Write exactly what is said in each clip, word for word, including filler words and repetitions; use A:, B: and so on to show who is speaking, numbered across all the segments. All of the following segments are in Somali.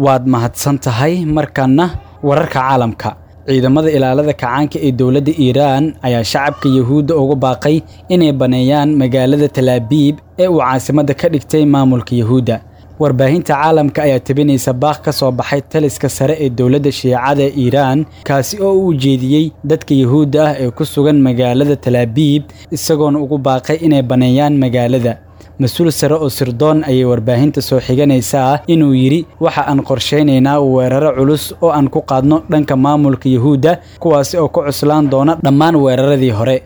A: Waad mahadsan tahay. Markaana wararka caalamka. Ciidamada ilaalada kacaanka ee dowladda Iiraan ayaa shacabka Yuhuudda ugu baaqay inay baneeyaan magaalada Talaabiib ee uu caasimadda ka dhigtay maamulka Yuhuudda. Warbaahinta caalamka ayaa tebinaysa baaq ka soo baxay taliska sare ee dowladda Shiicada ee Iiraan, kaasi oo u ujeediyey dadka Yuhuudda ah ee ku sugan magaalada Talaabiib, isagoona ugu baaqay inay baneeyaan magaalada. Mas-uul sare oo sirdoon ayay warbaahinta soo xiganaysaa inuu yidhi: waxa aan qorshaynaynaa weeraro culus oo aan ku qaadno dhanka maamulka Yuhuudda, kuwaasi oo ku cuslaan doona dhammaan weeraradii hore.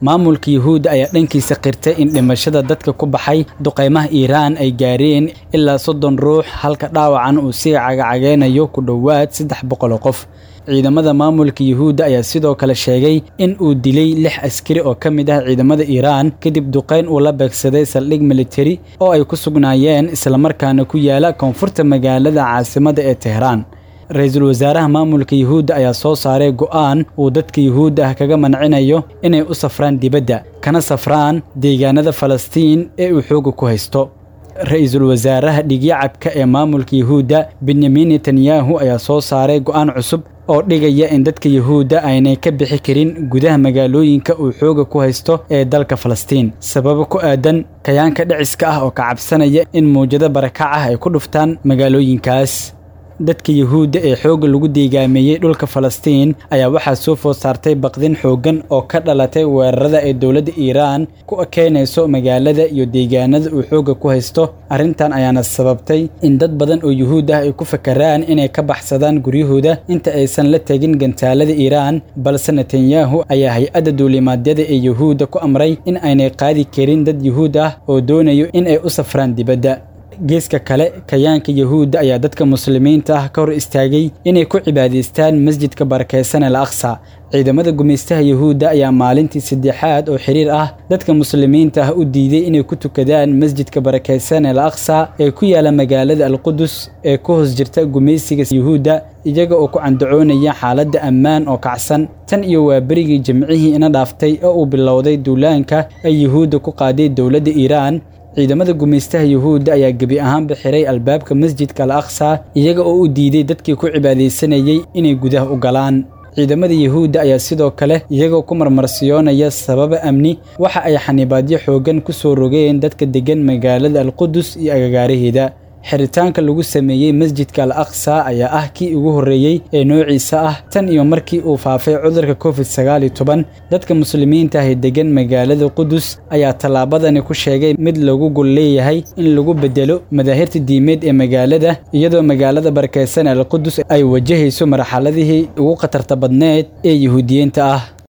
A: Maamulka Yuhuudda ayaa dhankiisa qirtay in dhimashada dadka ku baxay duqeymaha Iiraan ay gaareen ilaa soddon ruux, halka dhaawacan uu sii cagacageynayo ku dhowaad saddex boqol oo qof. Ciidamada maamulka Yuhuudda ayaa sidoo kale sheegay in uu dilay lix askari oo ka mid ah ciidamada Iiraan kadib duqeyn uu la beegsaday saldhig militari oo ay ku sugnaayeen, islamarkaana ku yaala koonfurta magaalada caasimadda ee Tehraan. Ra-iisul wasaaraha maamulka Yuhuudda ayaa soo saaray go'aan uu dadka Yuhuudda ah kaga mancinayo inay u safraan dibadda, kana safraan deegaanada Falastiin ee uu xoogga ku haysto. Ra-iisul wasaaraha dhigyacabka ee maamulka Yuhuudda Benyamin Netanyahu ayaa soo saaray go'aan cusub oo dhigaya in dadka Yuhuudda aynay ka bixi karin gudaha magaalooyinka uu xoogga ku haysto ee dalka Falastiin, sababo ku aadan kayaanka dhiciska ah oo ka cabsanaya in muwjado barakac ah ay ku dhuftaan magaalooyinkaas. Dadka Yuhuudda ee xoogga lagu deegaameeyey dhulka Falastiin ayaa waxaa soo food saartay baqdin xooggan oo ka dhalatay weerarada ay dowladda Iiraan ku keenayso magaalada iyo deegaanada uu xoogga ku haysto. Arrintan ayaana sababtay in dad badan oo Yuhuud ah ay ku fakaraan inay ka baxsadaan guryahooda inta aysan la tegin gantaalada Iiraan, balse Netanyahu ayaa hay-adda duulimaadyada ee Yuhuudda ku amray in aynay qaadi karin dad Yuhuud ah oo doonayo in ay u safraan dibadda. Geeska kale, kayaanka Yuhuudda ayaa dadka muslimiinta ah ka hor istaagay inay ku cibaadaystaan masjidka barakeysan Al Aqsa. Ciidamada gumaystaha Yuhuudda ayaa maalintii saddexaad oo xiriir ah dadka muslimiinta ah u diiday inay ku tukadaan masjidka barakeysan Al Aqsa ee ku yaala magaalada Al-Qudus ee ku hoos jirta gumaysiga Yuhuudda, iyaga oo ku candacoonaya xaaladda ammaan oo kacsan tan iyo waa berigii Jimcihii ina dhaaftay oo uu bilowday duulaanka ay Yuhuudda ku qaaday dowladda Iiraan. Ciidamada gumaystaha Yuhuudda ayaa gebi ahaanba xiray albaabka masjidka Al Aqsa, iyaga oo u diiday dadkii ku cibaadaysanayay inay gudaha u galaan. Ciidamada Yuhuudda ayaa sidoo kale iyagoo ku marmarsiyoonaya sababa amni waxa ay xanibaadyo xooggan ku soo rogeen dadka deggan magaalada Al-Qudus iyo agagaaraheeda. Xiritaanka lagu sameeyey masjidka Al Aqsa ayaa ah kii ugu horreeyey ee noociisa ah tan iyo markii uu faafay cudurka Covid sagaal iyo toban. Dadka muslimiinta ah ee deggan magaalada Qudus ayaa tallaabadani ku sheegay mid lagu gol leeyahay in lagu bedelo madaahirta diimeed ee magaalada, iyadoo magaalada barakeysan Al Qudus ay wajahayso marxaladihii ugu khatarta badneed ee Yuhuudiyiinta ah.